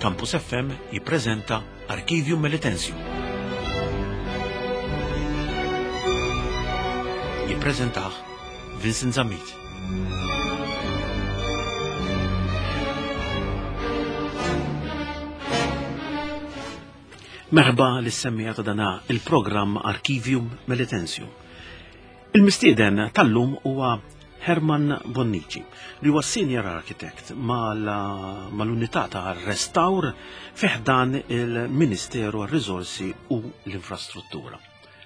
Campus FM jippreżenta Arkivium Melitensium. Jippreżentah Vincent Zammit. Merħba lis-semmija ta' dana il-programm Arkivium Melitensium. Il-mistieden tal-lum huwa Herman Bonnici, li huwa senior architect mal-unità ta' restawr fi ħdan il-Ministeru għar-Riżorsi u l-Infrastruttura.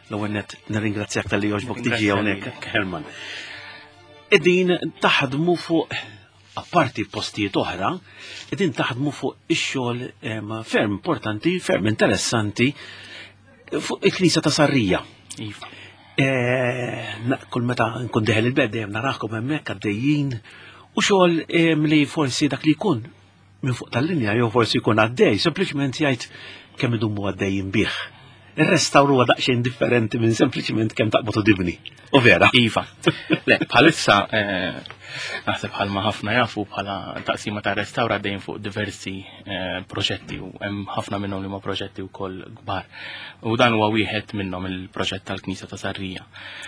L-ewwel nett nirringrazzjak talli jogħġbok tiġi hawnhekk, Herman. Qegħdin taħdmu fuq apparti postijiet oħra, qegħdin taħdmu fuq ix-xogħol ferm importanti, ferm interessanti fuq il-Knisja ta' Sarrija. Iva. Eh, kull meta nkun deħel il-bed dejjem narakom hemmhekk għaddejjin u xogħol li forsi dak li jkun minn fuq tal-linja jew forsi jkun għaddej, sempliċement jgħid kemm idumu għaddejjin bih. Ir-restawr huwa daqsxejn differenti minn sempliċement kemm taqbad u tibni. U vera. Iva. Le, bħalissa eh, naħseb bħalma ħafna jafu bħala taqsima ta' restawr għaddejjin fuq diversi eh, proġetti u hemm ħafna minnhom li huma proġetti wkoll kbar. U dan huwa wieħed minnhom il-proġett tal-Knisja ta' Sarrija.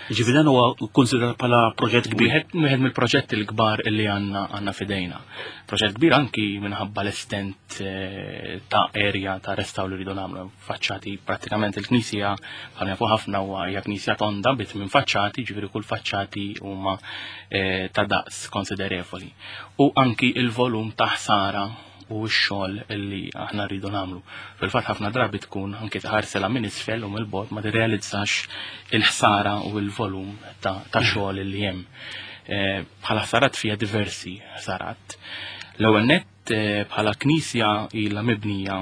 Ġifieri dan huwa konsidrat bħala proġett kbir. Wieħed mill-proġetti l-kbar li għandna għandna fidejna. Proġett kbir anki minħabba l-estent eh, ta' area ta' restawr li rridu nagħmlu. Faċċati prattikament il-knisja bħal jafu ħafna huwa hija knisja tonda bit minn faċċati, ġifieri kull faċċati huma eh, ta' daqs konsiderevoli. U anki il-volum ta' ħsara u x-xogħol li aħna rridu nagħmlu. Fil-fatt ħafna drabi tkun anke tħarsela minn isfel u mill-bogħod ma tirrealizzax il-ħsara u l-volum ta' xogħol li hemm. Eh, bħala ħsarat fija diversi ħsarat. L-ewwel nett eh, bħala knisja ilha mibnija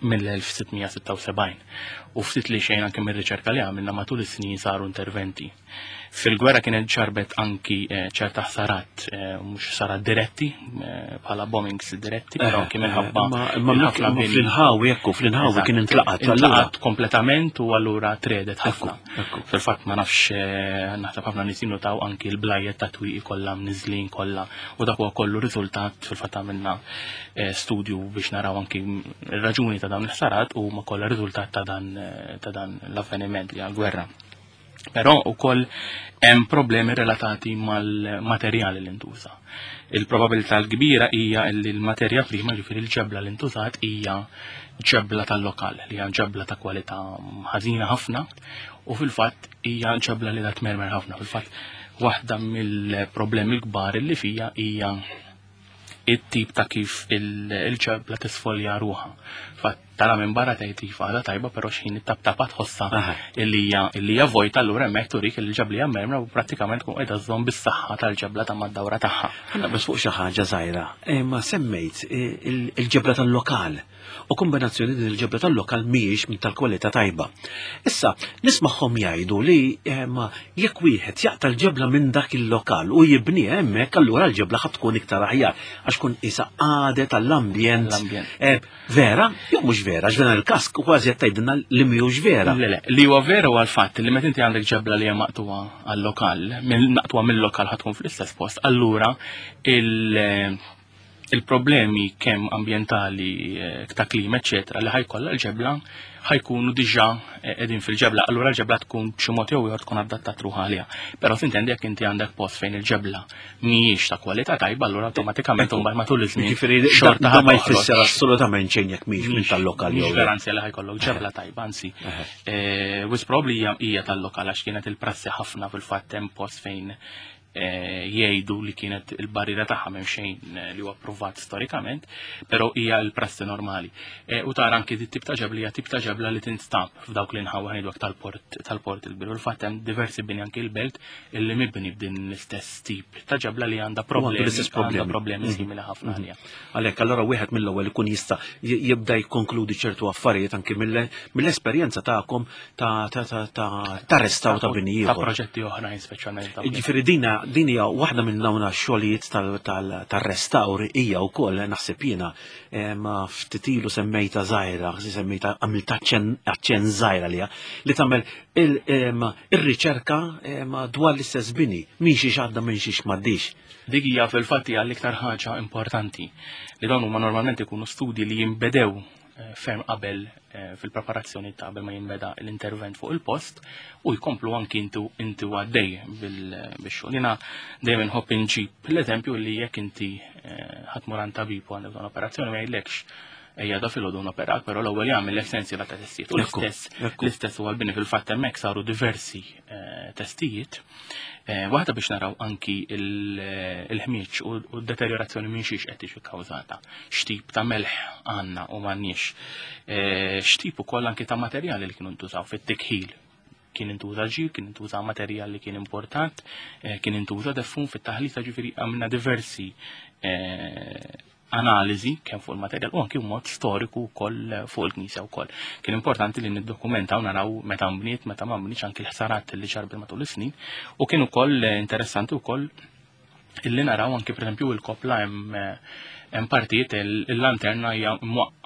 mill-1676 u ftit li xejn anke mir-riċerka li għamilna matul is-snin saru interventi. Fil-gwerra kienet ġarbet anki eh, ċerta ħsarat, eh, mhux ħsarat diretti, eh, bħala bombings diretti, però anki minħabba. Imma fl-inħawi, ekku, fl-inħawi kien intlaqat. Intlaqat kompletament u allura tredet ħafna. Fil-fatt ma nafx naħseb ħafna nies jinnotaw anki l-blajjet ta' twieqi kollha mniżlin kollha u dak huwa kollu riżultat fil-fatt għamilna studju biex naraw anki r-raġuni ta' dawn il-ħsarat u ma kollha riżultat ta' dan l-avveniment li għal-gwerra. Però wkoll hemm problemi relatati mal-materjali li ntuża. Il-probabilità l-kbira hija li l-materja prima, ġifieri l-ġebla li ntużat hija ġebla tal-lokal, li hija ġebla ta' kwalità ħażina ħafna u fil-fatt hija ġebla li tmermer ħafna. Fil-fatt waħda mill-problemi l-kbar li fija hija it-tip ta' kif il-ġebla tisfolja ruħha. Fatt tara minn barra tgħid iva għadha tajba però x'ħin it-taptapa tħossha illi hija illi hija vojta allura hemmhekk turik li l-ġebla hija mermra u prattikament tkun qiegħda żżomm bis-saħħa tal-ġebla ta' mad-dawra tagħha. Ħa bas fuq xi ħaġa żgħira, eh, ma semmejt eh, il-ġebla tal-lokal u kombinazzjoni din il-ġebla tal-lokal mhijiex minn tal-kwalità tajba. Issa, nismagħhom jgħidu li eh, ma jekk wieħed jaqta' l-ġebla minn dak il-lokal u jibni hemmhekk allura l-ġebla ħad tkun iktar aħjar għax kun isa għadet għall-ambjent. Eh, vera, jew mhux vera, għax dan il-każ kważi qed tgħidilna li mhijiex vera. Le, le, li huwa vera huwa l-fatt li meta inti għandek ġebla li hija maqtuha għall-lokal, maqtuha mill-lokal ħad tkun fl-istess post, allura il- il-problemi kemm ambjentali, eh, ta' klima, eċetera, li ħajkollha l-ġebla ħajkunu diġà eh, qegħdin fil-ġebla, allura l-ġebla tkun b'xi mod jew ieħor tkun adattat ruħha għaliha. Però tintendi jekk inti għandek post fejn il-ġebla mhijiex ta' kwalità tajba, allura awtomatikament imbagħad matul iż-żmien. Jiġifieri xorta ma jfisser assolutament xejn jekk mhijiex minn tal-lokal jew. Garanzja li ħajkollok ġebla tajba, anzi. Eh, wis probably hija tal-lokal għax kienet il-prassi ħafna fil-fatt hemm post fejn Eh, jgħidu li kienet il-barriera tagħha m'hemm xejn eh, li huwa pruvat storikament, però hija l-prassi normali. Eh, u tara anki dit tip ta' ġebla hija tip ta' ġebla li tinstab f'dawk li nħawwa ngħidu tal-port tal-port il-biru. Il-fatt hemm diversi bini anki l-belt illi mibni b'din l-istess tip ta' ġebla li għandha problemi l-istess problemi problemi mhm. simili ħafna mhm. għalija. Għalhekk allura wieħed mill-ewwel ikun jista' jibda jikkonkludi ċertu affarijiet anki mill-esperjenza tagħkom ta' ta' ta' ta' ta' restawr ta' bini ieħor. Ta' proġetti oħrajn speċjalment. Ġifieri dina din hija waħda minn dawn xogħlijiet tal-restawr hija wkoll naħseb jiena ma ftit ilu semmejta żgħira, semmejta għamilta aċċenn żgħira liha li tagħmel ir-riċerka dwar l-istess bini, min xiex għadda minn xiex m'għaddix. Dik hija fil-fatt hija l-iktar ħaġa importanti li dawn huma normalment ikunu studji li jinbedew eh, ferm qabel eh, fil-preparazzjoni ta' qabel ma jinbeda l-intervent fuq il-post u jkomplu anki intu inti għaddej bil-xogħol. Jiena dejjem inħobb inġib l-eżempju li jekk inti eh, ħadd mur għand tabib u għandek bżonn operazzjoni ma jgħidlekx ejja da filgħodu noperak, però l-ewwel jagħmel l-essenzja ta' testijiet. U l-istess l-istess huwa l-bini fil-fatt hemmhekk saru diversi testijiet Eh, waħda biex naraw anki il-ħmieġ u d-deteriorazzjoni minn xiex qed tiġi kkawżata. X'tip ta' melħ għandna u m'għandniex. Eh, x'tip ukoll anki ta' materjali li kienu ntużaw fit-tikħil kien intuża ġir, kien intuża materjal li kien important, eh, kien intuża defun fit-taħlita ġifieri għamilna diversi analiżi kemm fuq il-materjal u anki mod storiku wkoll fuq il-knisja wkoll. Kien importanti li niddokumentaw naraw meta nbniet, meta ma nbnietx anki l-ħsarat li ġarbi matul is-snin u kien ukoll interessanti wkoll illi naraw anki pereżempju il-kopla hemm hemm partijiet il-lanterna hija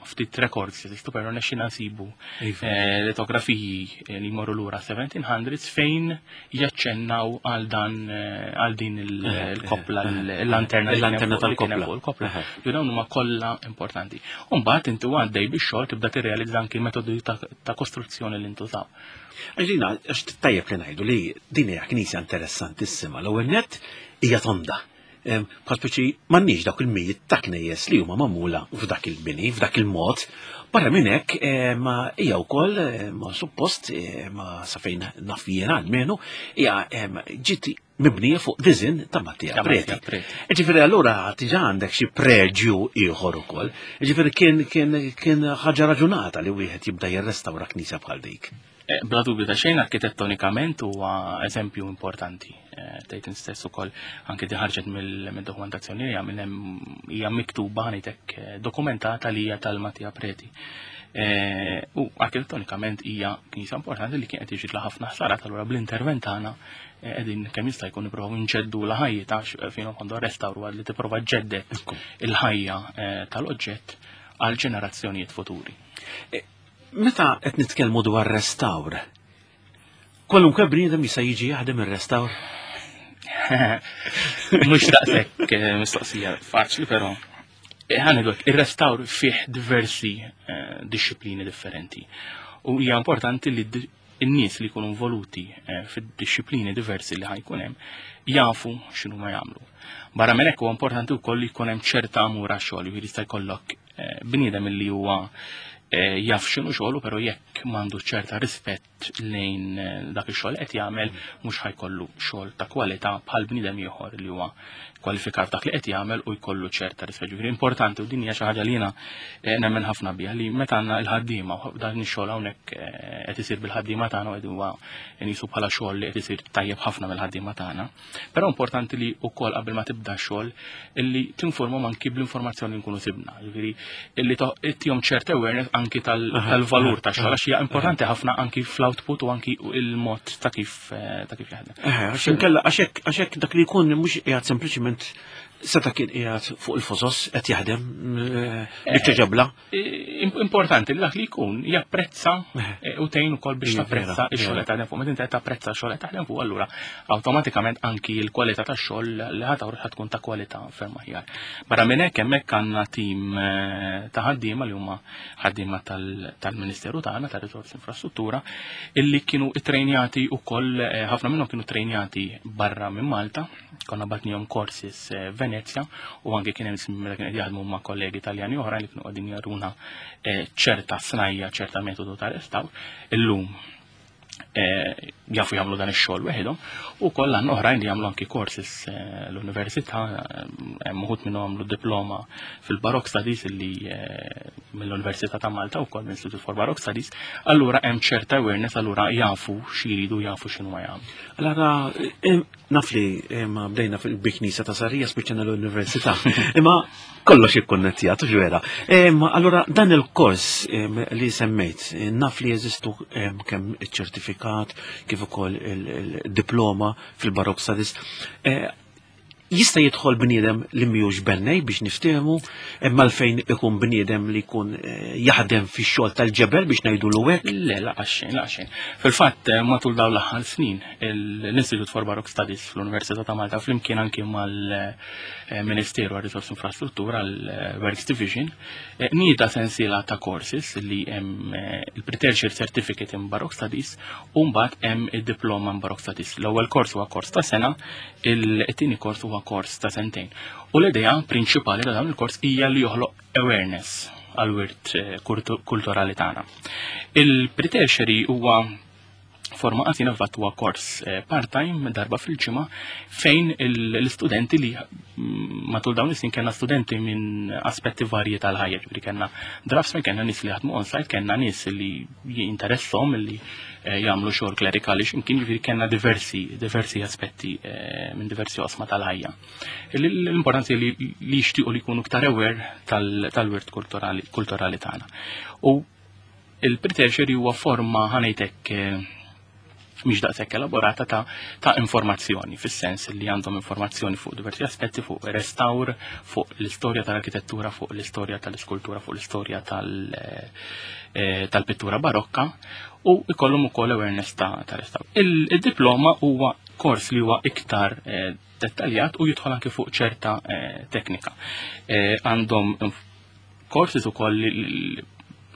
ftit records jeżistu però nexxina nsibu iva. eh, litografiji eh, li jmorru lura 1700s fejn jaċċennaw għal dan eh, għal din il-koppla il-lanterna il-lanterna tal-koppla. Il-koppla. Jo dawn huma kollha importanti. U mbagħad inti għaddej bix-xogħol tibda tirrealizza anki l-metodi ta' kostruzzjoni li ntużaw. Għaxina, għax tajjeb li ngħidu li din hija knisja interessantissima. L-ewwel nett hija tonda. Bħal speċi m'għandniex dawk il-mijiet ta' knejjes li huma magħmula f'dak il-bini, f'dak il-mod. Barra minn hekk ma hija wkoll ma suppost ma sa fejn naf jiena almenu hija ġiet mibnija fuq diżin ta' Mattia Preti. Ġifieri allura diġà għandek xi preġju ieħor ukoll. Ġifieri kien kien kien ħaġa raġunata li wieħed jibda jirrestawra knisja bħal dik. Eh, bla dubju ta' xejn arkitettonikament huwa eżempju importanti. Eh, tgħid stess ukoll anke di ħarġet mill-dokumentazzjoni li għamil hija miktuba ngħidlek eh, dokumentata li hija tal-Mattia Preti. U arkitettonikament hija knisja importanti li kienet jiġi ħafna ħsarat allura bl-intervent tagħna qegħdin kemm jista' jkun nippruvaw nġeddu l-ħajja ta' fejn għandu restawru li tipprova ġeddet il-ħajja tal-oġġett għal ġenerazzjonijiet futuri. Meta qed nitkellmu dwar restawr, kwalunkwe bniedem jista' jiġi jaħdem ir-restawr? Mhux daqshekk eh, mistoqsija faċli, però eh, ħanidlek ir-restawr fih diversi eh, disċiplini differenti. U hija importanti li n-nies li jkunu involuti fid-disciplini diversi li ħajkun hemm jafu x'inhu ma jagħmlu. Barra minn hekk huwa importanti wkoll li jkun hemm ċerta amur għax-xogħol, jiġifieri jista' jkollok eh, bniedem li huwa eh, jaf x'inhu xogħlu, però jekk m'għandu ċerta rispett lejn eh, dak ix-xogħol qed jagħmel mhux ħajkollu xogħol ta' kwalità bħal bniedem ieħor li huwa kwalifikat dak li qed jagħmel u jkollu ċerta rispett. Ġifieri importanti u din hija xi ħaġa li jiena nemmen ħafna biha li meta għandna l-ħaddiema u dan ix-xogħol hawnhekk qed isir bil-ħaddiema tagħna u qed huwa nisu bħala xogħol li qed isir tajjeb ħafna mill-ħaddiema tagħna. Però importanti li wkoll qabel ma tibda xogħol illi tinformhom anki bl-informazzjoni li nkunu sibna. Jiġifieri illi ittihom ċert awareness anki tal-valur ta' xogħol għax hija importanti ħafna anki fl-output u anki il-mod ta' kif eh, ta' kif jaħdem. Għax inkella għax hekk dak li jkun mhux qiegħed sempliċiment seta' kien qiegħed fuq il-fosos qed jaħdem eh, biċċa ġebla. Importanti li dak li jkun japprezza eh, u tgħin ukoll biex tapprezza x-xogħol qed taħdem fuq. Meta inti qed tapprezza x-xogħol qed taħdem fuq, allura awtomatikament anki l-kwalità tax-xogħol li ħa toħroġ ħa tkun ta' kwalità ferm aħjar. Barra minn hekk hemmhekk għandna tim eh, ta' ħaddiema li huma ħaddiema tal-Ministeru tagħna tar-Riżorsi Infrastruttura illi kienu ttrejnjati wkoll eh, ħafna minnhom kienu ttrejnjati barra minn Malta konna batnihom courses eh, Venezia u anke kien hemm meta kien qed jaħdmu ma' kollegi Taljani oħra li kienu qegħdin jaruna eh, ċerta snajja, ċerta metodu ta' restawr. Illum eh, jafu jagħmlu dan ix-xogħol weħidhom u kollha għandna oħrajn li jagħmlu anki courses l-università hemm uħud minnhom għamlu diploma fil-Baroque Studies li mill-Università ta' Malta wkoll mill-Institute for Baroque Studies, allura hemm ċerta awareness allura jafu x'jridu jafu x'inhu jagħmlu. Allura Naf li eh, ma bdejna fil-biknisa ta' Sarija spiċċana l-università. Imma kollox ikkonnettjat, vera. Allura dan il-kors li semmejt, eh, naf li jeżistu kemm iċ-ċertifikat ċertifikat kif ukoll il-diploma fil-Baroque Studies. Eh, jista' jidħol bniedem li mhijiex bennej biex niftehmu, imma fejn ikun bniedem li jkun eh, jaħdem fix-xogħol tal-ġebel biex ngħidulu hekk. Le, laqas xejn, laqas xejn. Fil-fatt, eh, matul dawn l-aħħar snin, l-Institute for Baroque Studies fl-Università ta' Malta flimkien anki mal-Ministeru għal Risorsi Infrastruttura l-Works Division, eh, nieda sensiela ta' courses li hemm il-Pre-Tertiary Certificate in Baroque Studies u mbagħad hemm id-Diploma in Baroque Studies. L-ewwel kors huwa kors ta' sena, il-tieni kors huwa kors ta' sentejn. U l-idea prinċipali ta' dawn il-kors hija li joħloq awareness għal-wirt eh, kulturali tagħna. Il-pre-tertiary huwa forma qasina fatt huwa kors eh, part-time darba fil-ġimgħa fejn l-istudenti li mm, matul dawn is-snin kellna studenti minn aspetti varji tal-ħajja, ġifieri kellna draftsmen, kellna nies li jaħdmu on-site, kellna nies li jinteresshom li eh, jagħmlu xogħol klerikali x'imkien ġifieri kellna diversi diversi aspetti eh, minn diversi osma tal-ħajja. L-importanza li jixtiequ li jkunu iktar aware tal-wirt kulturali tagħna. U il-pre-tertiary huwa forma ħanejtek eh, mhix daqshekk elaborata ta', ta informazzjoni, fis-sens li għandhom informazzjoni fuq diversi aspetti, fuq restawr, fuq l-istorja tal-arkitettura, fuq l-istorja tal-iskultura, fuq l-istorja eh, tal-pittura barokka u ikollhom ukoll awareness ta', ta restawr. Il-diploma huwa kors li huwa iktar eh, dettaljat u jidħol anke fuq ċerta teknika. Għandhom courses ukoll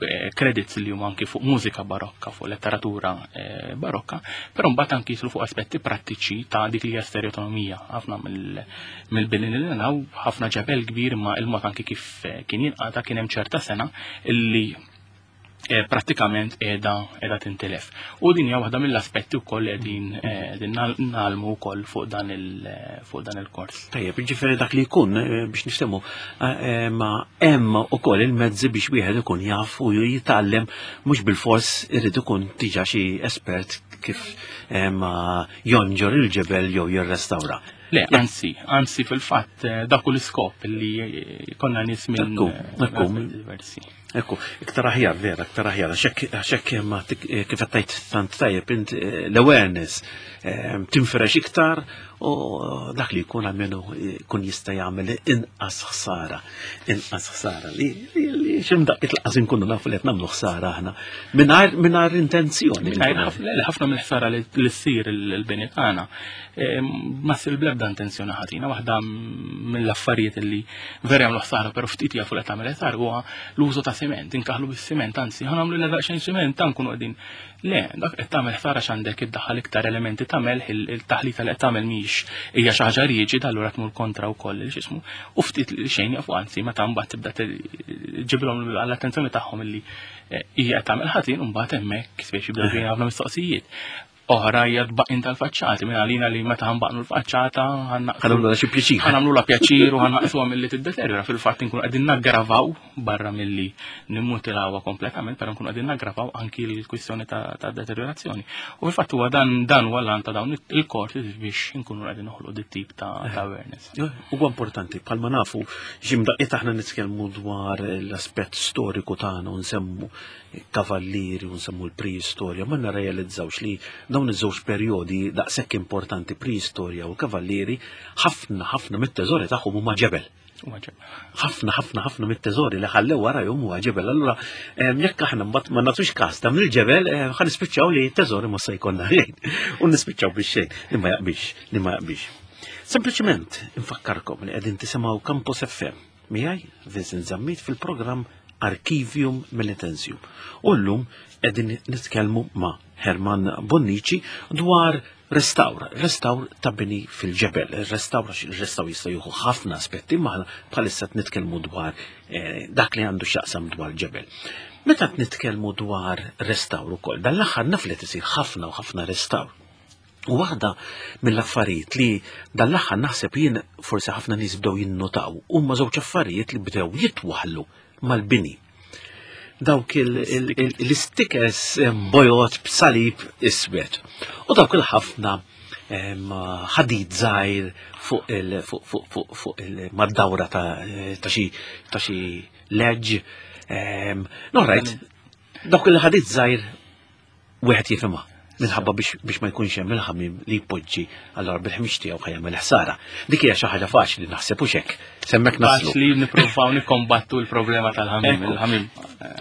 eh, credits li huma anki fuq mużika barokka, fuq letteratura eh, barokka, però mbagħad anki jislu fuq aspetti prattiċi ta' dik li hija stereotonomija. Ħafna mill-bini li naraw ħafna ġebel kbir imma il-mod anki kif eh, kien jinqata kien hemm ċerta sena illi prattikament qiegħda qiegħda tintilef. U din hija waħda mill-aspetti wkoll qegħdin qegħdin nagħlmu wkoll fuq dan il fuq dan il-kors. Tajjeb, ġifieri dak li jkun biex niftehmu ma hemm ukoll il-mezzi biex wieħed ikun jaf u jitgħallem mhux bil-fors irid ikun diġà xi espert kif ma jonġor il-ġebel jew jirrestawra. Le, anzi, anzi fil-fatt dak hu l-iskop li konna nies minn diversi. Ekku, iktar aħjar, vera, iktar aħjar, għaxek ma eh, kif għattajt tant tajjeb, int eh, l-awareness eh, tinferex iktar u dak li jkun għalmenu kun jista' jagħmel inqas ħsara, inqas ħsara li ximdaqqiet laqas inkunu nafu li qed nagħmlu ħsara aħna mingħajr intenzjoni. Ħafna mill-ħsara li ssir il-bini tagħna ma ssir bl-ebda intenzjoni ħażina, waħda mill-affarijiet li vera jagħmlu ħsara però ftit jafu li tagħmel ħsara huwa l-użu ta' siment, inkaħlu bis-siment, anzi ħa nagħmlu l daqsxejn siment ta' nkunu qegħdin. Le, dak qed tagħmel ħsara x'għandek iddaħħal iktar elementi ta' melħ il-taħlita li qed tagħmel mhix hija xi ħaġa riġida allura tmur kontra wkoll il x'ismu u ftit li xejn jafu anzi meta mbagħad tibda ġibilhom għall-attenzjoni tagħhom illi eh, hija qed tagħmel ħażin u mbagħad hemmhekk speċi jibdew ħafna mistoqsijiet. Oħra hija tbaqqin tal-faċċati minn għalina li meta ħanbaqnu l-faċċata ħanagħmlu xi pjaċir. Ħanagħmlu pjaċir u ħanaqsuha milli tiddeterjora fil-fatt inkunu qegħdin naggravaw barra milli nimmutilawha kompletament, però nkunu qegħdin naggravaw anki l-kwistjoni ta' deteriorazzjoni. U fil-fatt huwa dan dan huwa l ta' dawn il-korti biex inkunu qegħdin noħolqu dit tip ta' awareness. Huwa importanti bħalma nafu x'imdaqqiet aħna nitkellmu dwar l-aspett storiku tagħna u nsemmu kavallieri u nsemmu l-preistorja, ma narrealizzawx li dawn iż-żewġ perjodi daqshekk importanti preistorja u l-kavallieri ħafna ħafna mit-teżori tagħhom huma ġebel. Ħafna ħafna ħafna mit-teżori li ħallew warajhom huwa ġebel. Allura jekk aħna mbagħad ma nagħtux każ ta' mill-ġebel ħa nispiċċaw li t-teżori ma se jkollna xejn. U nispiċċaw biex xejn li ma jaqbix, li ma jaqbix. Sempliċement infakkarkom li qegħdin tisimgħu Campus FM Miegħi Vincent Zammit fil-programm Archivium Militensium. U llum qegħdin nitkellmu ma' Herman Bonnici dwar restawr, restawr ta' bini fil-ġebel. Restawr, restawr jista' jieħu ħafna aspetti, ma bħalissa qed nitkellmu dwar eh, dak li għandu x'jaqsam dwar ġebel. Meta qed nitkellmu dwar restawr ukoll, dan l-aħħar naf li tisir ħafna u ħafna restawr. U waħda mill-affarijiet li dan l-aħħar naħseb jien forsi ħafna nies bdew jinnotaw huma żewġ affarijiet li bdew jitwaħlu mal-bini. Dawk l-istikers bojot b'salib iswed. U dawk il-ħafna ħadid żgħir fuq il fuq il-maddawra ta' xi ta' xi leġ. No, right, dawk il-ħadid żgħir wieħed jifhimha. Minħabba biex ma jkunx hemm il-ħamim li jpoġġi allora bil-ħmix tiegħu ħa jagħmel ħsara. Dik hija xi ħaġa faċli naħseb u xek. Semmek naslu. Faċli nippruvaw nikkombattu l-problema tal-ħamim. Il-ħamim.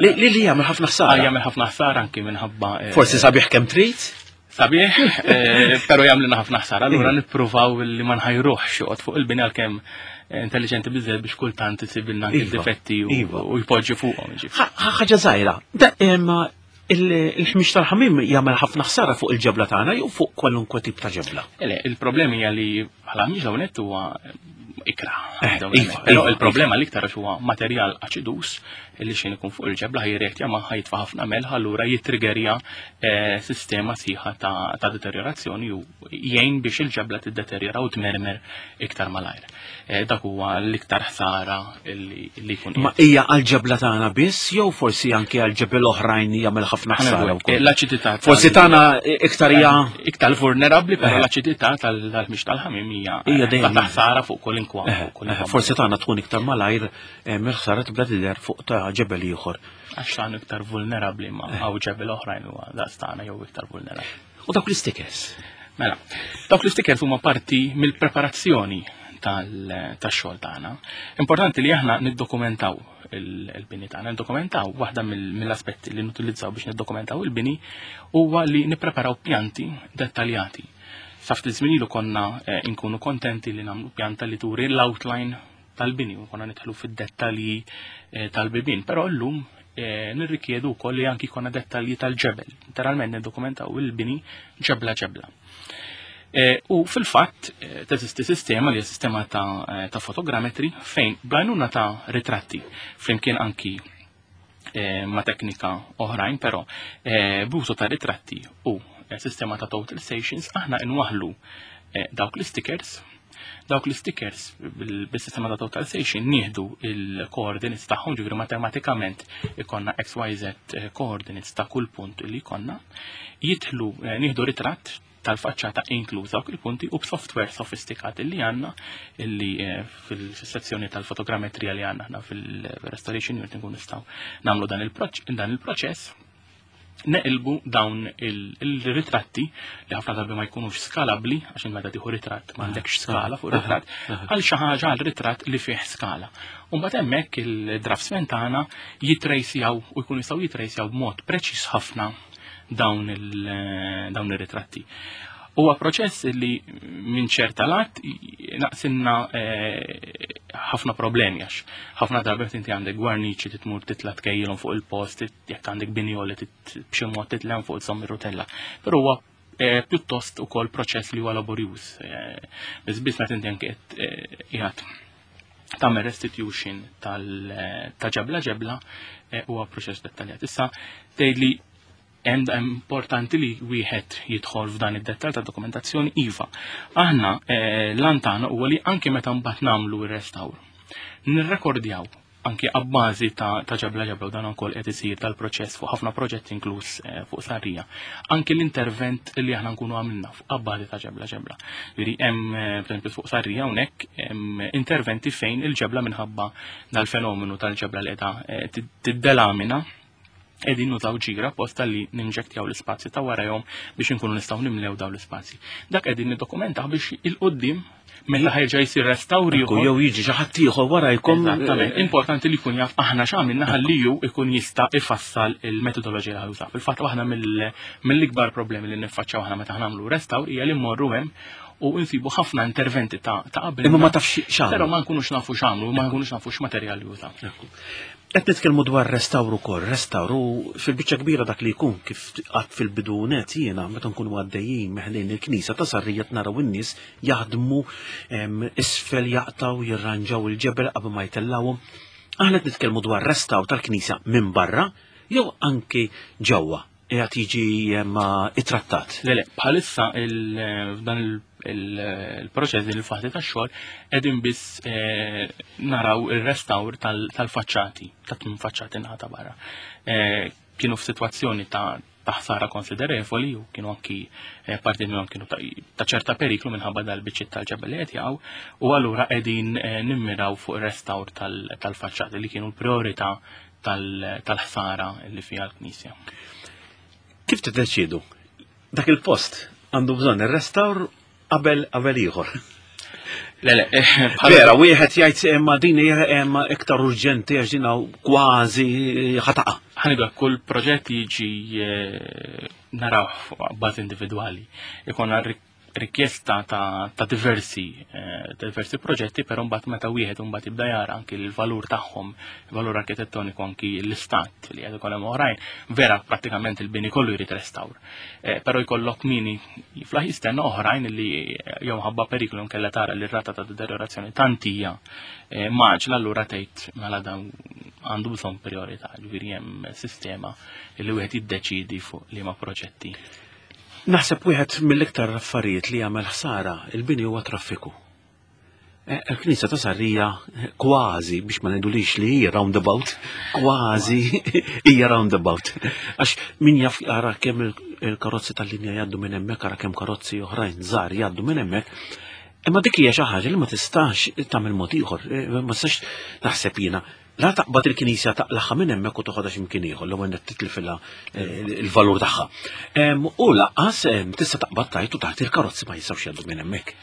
Li li jagħmel ħafna ħsara. Ah, jagħmel ħafna ħsara anki minħabba. Eh, Forsi sabiħ kemm trid? Sabiħ, eh, pero jagħmlilna ħafna ħsara. Allura nippruvaw li ma nħajruhx joqgħod fuq il-bini għalkemm eh, intelligenti biżżejjed biex kultant isibilna anke iva, difetti u iva. jpoġġi fuqhom. Ħaġa żgħira. Il-ħmix tal-ħamim jagħmel ħafna ħsara fuq il-ġebla tagħna jew fuq kwalunkwe tip ta' ġebla. Le, il-problemi hija li bħala ħmix hawn huwa ikra. Eh, iva, Però iva, il-problema iva. l-iktar għax huwa materjal aċidus li xejn ikun fuq il-ġebla ħajreaktja ma ħajtfa' ħafna melħ allura jittrigerja eh, sistema sħiħa ta' deteriorazzjoni u jgħin biex il-ġebla tiddeterjora u tmermer iktar malajr. Eh, dak huwa l-iktar ħsara li jkun. Ma hija għall-ġebla tagħna biss jew forsi anke għal ġebel oħrajn jagħmel ħafna ħsara wkoll. Eh, l-aċidità. Forsi tagħna iktar hija iktar vulnerabbli, però l-aċidità tal-mix tal-ħamim hija hija dejjem ta' ħsara fuq kolinkwa. Forsi tagħna tkun iktar malajr mill-ħsara tibda tidher fuq ta' ġebel ieħor. Għax tagħna iktar vulnerabbli ma hawn ġebel oħrajn huwa daqs tagħna jew iktar vulnerabbli. U dawk l-istikers? Mela, dawk l-istikers huma parti mill-preparazzjoni tax-xogħol tagħna. Importanti li aħna niddokumentaw il-bini tagħna, niddokumentaw waħda mill-aspetti li nutilizzaw biex niddokumentaw il-bini huwa li nippreparaw pjanti dettaljati. Sa ftit żmien ilu konna eh, nkunu kontenti li nagħmlu pjanta li turi l-outline tal-bini u konna nidħlu fid-dettalji eh, tal-bibien, però llum eh, nirrikjedu wkoll li anki jkollna dettalji tal-ġebel. Literalment niddokumentaw il-bini ġebla ġebla. Eh, u fil-fatt teżisti sistema li hija sistema ta', ta fotogrammetri fejn bl-għajnuna ta' ritratti flimkien anki ma' teknika oħrajn, però b'użu ta' ritratti u sistema ta' total stations aħna inwaħlu dawk l-stickers. Dawk l-stickers bil-sistema ta' total station nieħdu il-coordinates tagħhom, ġifieri matematikament ikonna XYZ coordinates ta' kull punt li jkollna, jidħlu nieħdu ritratt tal-faċċata inkluż dawk il-punti u b'software sofistikat li għandna illi eh, fil-sezzjoni tal-fotogrammetrija li għandna aħna fil-restoration unit nkun nistgħu nagħmlu dan il-proċess neqilbu dawn il-ritratti li ħafna drabi ma jkunux skalabbli għax meta tieħu ritratt m'għandekx skala fuq ritratt għal xi ħaġa għal ritratt li fih skala. U mbagħad hemmhekk il-draftsmen tagħna jitrejsjaw u jkunu jistgħu jitrejsjaw b'mod preċiż ħafna dawn ir-ritratti. Huwa proċess li minn ċerta lat naqsinna eh, ħafna problemi għax ħafna drabi inti għandek gwarniċi titmur titla tkejjilhom fuq il-post, jekk għandek binjoli b'xi mod titlem fuq żomm ir-rutella. Però huwa eh, pjuttost ukoll proċess li huwa laborjuż. Eh, biss biss meta inti anke qiegħed tagħmel restitution ta' ġebla ġebla huwa proċess dettaljat. Issa tgħidli hemm importanti li wieħed jidħol f'dan id-dettall ta' dokumentazzjoni iva. Aħna eh, lan tagħna huwa li anke meta mbagħad nagħmlu r-restawr, nirrekordjaw anke abbażi ta' ġebla ġebla u dan ukoll qed isir tal-proċess fuq ħafna proġetti inkluż eh, fuq Sarrija. Anke l-intervent li aħna nkunu għamilna fuq abbażi ta' ġebla ġebla. Jiġifieri hemm eh, pereżempju fuq Sarrija hawnhekk hemm interventi fejn il-ġebla minħabba dal-fenomenu tal-ġebla li qiegħda tiddelamina qegħdin nużaw ġira apposta li ninġektjaw l-ispazji ta' warajhom biex inkunu nistgħu nimlew dawn l-ispazji. Dak qegħdin niddokumentaw biex il-qudiem meta ħajġa jsir restawr ieħor. Jew jiġi xi ħadd ieħor warajkom. Eżattament. Importanti li jkun jaf aħna x'għamilna ħalli ju jkun jista' ifassal il-metodoloġija li ħajuża. Fil-fatt waħda mill-ikbar problemi li niffaċċjaw aħna meta nagħmlu restawr hija li mmorru hemm u nsibu ħafna interventi ta' qabel. Imma ma tafx x'għamlu. Però ma nkunux nafu x'għamlu, ma nkunux nafu x'materjal jużaw. Qed nitkellmu dwar restawr ukoll, restawr u fil-biċċa kbira dak li jkun kif qatt fil-bidu net jiena meta nkunu għaddejjin meħlejn il-knisja ta' Sarrija naraw in-nies jaħdmu isfel jaqtaw jirranġaw il-ġebel qabel ma jtellawhom. Aħna qed nitkellmu dwar restawr tal-knisja minn barra jew anki ġewwa qiegħed jiġi ittrattat. Le, le, bħalissa f'dan il-proċess din il-fażi tax-xogħol qegħdin biss eh, naraw ir-restawr tal-faċċati, ta' tmien faċċati naħa ta' barra. Eh, kienu f'sitwazzjoni ta' ħsara konsiderevoli u kienu anki eh, parti minnhom kienu ta' ċerta periklu minħabba dal-biċċiet tal-ġebel li qed jaqgħu u allura qegħdin nimmiraw fuq ir-restawr tal-faċċati li kienu l-priorità tal-ħsara li fiha l-Knisja. Kif tiddeċiedu? Dak il-post għandu bżonn ir-restawr qabel qabel ieħor. Le, le, eh, vera, wieħed jgħid imma din hija imma iktar urġenti għax din kważi ħataqa. Ħanidu kull proġett jiġi eh, naraw fuq bażi individwali. Ikonna rikjesta ta', ta diversi eh, diversi proġetti, però mbagħad meta wieħed mbagħad jibda jara anki l-valur tagħhom, il-valur arkitettoniku anki l-istat li qed ikun hemm oħrajn, vera prattikament il-bini kollu jrid restawr. Eh, però jkollok mini jiflaħ jistenna oħrajn li jew ħabba periklu nkella tara li r-rata ta' deteriorazzjoni tantija eh, maġla allura tgħid mela dan għandu bżonn priorità, ġifieri hemm sistema li wieħed jiddeċidi fuq liema proġetti. Naħseb wieħed mill-iktar affarijiet li jagħmel ħsara il-bini huwa traffiku. Eh, il-Knisja ta' Sarrija eh, kważi biex ma ngħidulix li hija roundabout, kważi hija roundabout. Għax min jaf jara kemm il-karozzi tal-linja jgħaddu minn hemmhekk, ara kemm karozzi oħrajn żgħar jgħaddu minn hemmhekk. Imma dik hija xi ħaġa li ma tistax tagħmel mod ieħor, eh, ma tistax naħseb jiena La taqbad il-knisja taqlaħħa minn hemmhekk u toħodha x'imkien ieħor l-ewwel qed titlifilha eh, il-valur tagħha. U laqas tista' taqbad tajt u taħt il-karozzi ma jistgħux jgħaddu minn hemmhekk.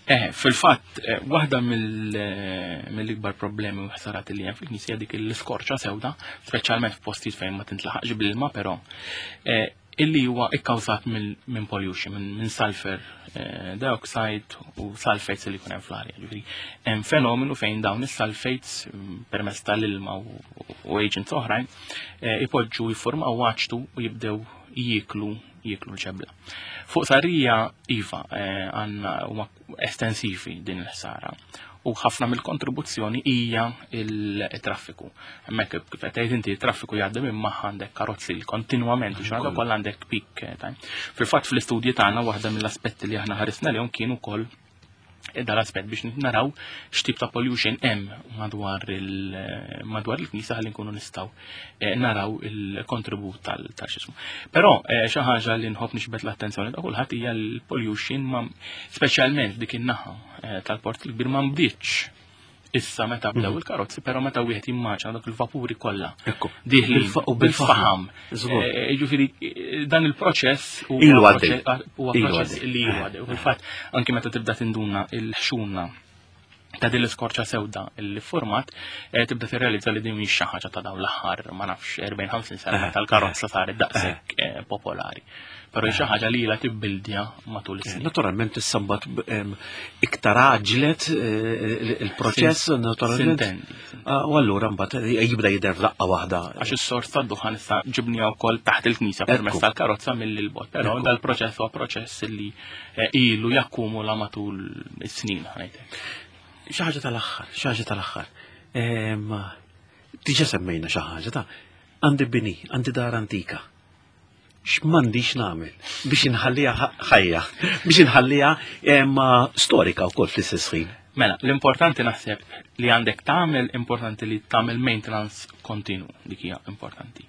Eh, fil-fatt, eh, waħda mill-ikbar problemi u ħsarat li hemm fil-knisja dik l-iskorċa sewda, speċjalment f'postijiet fejn ma tintlaħaqx bl-ilma, però illi huwa ikkawżat minn pollution, minn sulfur eh, dioxide u sulfates li jkun hemm fl-arja. Ġifieri hemm fenomenu fejn dawn is-sulfates mm, permezz tal-ilma u agents oħrajn eh, ipoġġu jiffurmaw waċtu u jibdew jieklu jieklu l-ġebla. Fuq sarija iva eh, għandna huma estensivi din il-ħsara u ħafna mill-kontribuzzjoni hija il-traffiku. Hemmhekk kif qed tgħid inti traffiku jgħaddi minn magħha għandek karozzi li kontinwament u xorta kollha għandek peak eh, time. Fil-fatt fl-istudji tagħna waħda mill-aspetti li aħna ħarisna lehom kienu wkoll dal-aspett biex naraw x'tip ta' pollution hemm madwar il-madwar il-knisja ħalli nkunu nistgħu eh, naraw il-kontribut tal-xismu. Però eh, xi ħaġa li nħobb nixbet l-attenzjoni ta' kulħadd hija l-pollution ma speċjalment dik in-naħa eh, tal-port il-kbir ma nbdietx issa meta bdew mhm. il-karozzi, però meta wieħed jimmaġna dak il-vapuri kollha. Diħli u bil-faħam. Ġifieri dan il-proċess huwa proċess li ilu għaddej. U fil-fatt anke meta tibda tinduna il-ħxuna ta' din l-iskorċa sewda li format eh, tibda tirrealizza li din mhix xi ħaġa ta' dawn l-aħħar ma nafx 40-50 sena eh, tal-karozza saret daqshekk eh, popolari. Però xi ħaġa li ilha tibbildja matul is-snin. Naturalment issa mbagħad iktar għaġlet il-proċess naturalment. Ah, u allura mbagħad jibda jidher f'daqqa waħda. Għax is-sors tad-duħan issa ġibniha wkoll taħt il-knisja permezz tal-karozza mill-bot. Però dal-proċess huwa proċess li Eh, ilu jakkumula matul is-snin ħajtek. Xi ħaġa tal-aħħar, xi ħaġa tal-aħħar. Ehm, diġà semmejna xi ħaġa ta' għandi bini, għandi dar antika. X'm'għandix nagħmel biex inħalliha ħajja, biex inħalliha ehm, storika wkoll fl-istess ħin. Mela, l-importanti naħseb li għandek tagħmel importanti li tagħmel maintenance kontinu, dik hija importanti.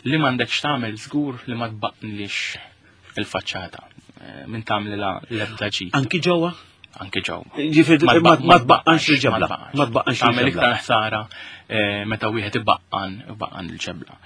Li m'għandekx tagħmel żgur li ma tbaqnlix il-faċċata eh, minn tagħmlilha l-ebda ġid. Anki ġewwa? Anki ġewwa. Ġifieri ma tbaqqanx il-ġebla. Ma tbaqqanx Tagħmel iktar ħsara eh, meta wieħed ibaqqan ibaqqan il-ġebla.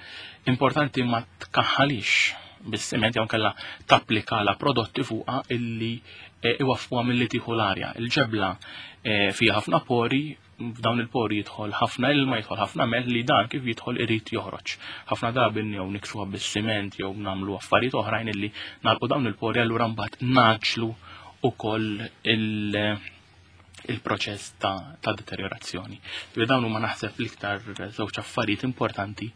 Importanti ma tkaħħalix bis-siment jew kellha tapplika la prodotti fuqha illi eh, iwaffquha milli tieħu l-arja. Il-ġebla fiha ħafna pori f'dawn il-pori jidħol ħafna ilma, jidħol ħafna melħ li dan kif jidħol irid joħroġ. Ħafna drabi jew niksuha bis-siment jew nagħmlu affarijiet oħrajn illi nagħlqu dawn il-pori allura mbagħad naġlu ukoll il-proċess ta', ta deteriorazzjoni. Ġifieri dawn huma naħseb l-iktar żewġ affarijiet importanti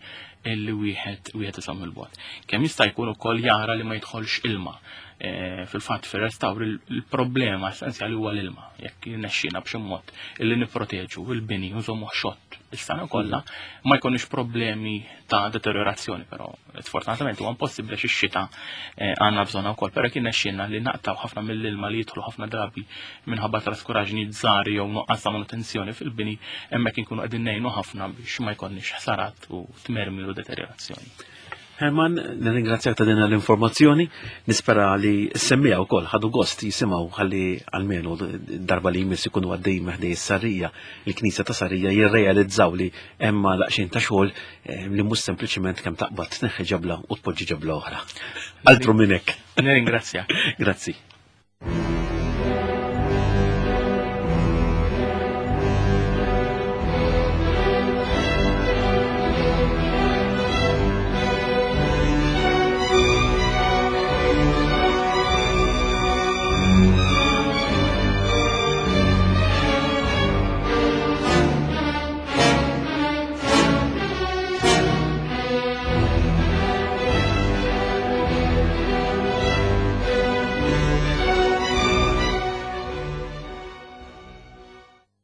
illi wieħed wieħed iżomm il-bogħod. Kemm jista' jkun ukoll jara li ma jidħolx ilma. Eh, fil-fatt fir-restawr il-problema essenzjali huwa l-ilma. Jekk jirnexxina b'xi mod illi nipproteġu il-bini u nżommu xott is-sena kollha, ma jkunux problemi ta' deteriorazzjoni, però sfortunatament huwa impossibbli għax ix-xita eh, għandna bżonna wkoll, però jekk jirnexxina li naqtaw ħafna mill-ilma li jidħlu ħafna drabi minħabba traskuraġni żgħar jew nuqqas ta' manutenzjoni fil-bini, hemmhekk inkunu qegħdin ngħinu ħafna biex ma jkollniex ħsarat u tmermir u deteriorazzjoni. Herman, nirringrazzjak ta' din l-informazzjoni, nispera li s-semmija wkoll ħadu gost jisimgħu ħalli almenu darba li jmiss ikunu għaddej meħdej s-sarrija, il-Knisja ta' Sarija jirrealizzaw li hemm daqsxejn ta' xogħol eh, li mhux sempliċiment kemm taqbad tneħħi ġebla u tpoġġi ġebla oħra. Altru minn hekk. Nirringrazzjak. Grazzi.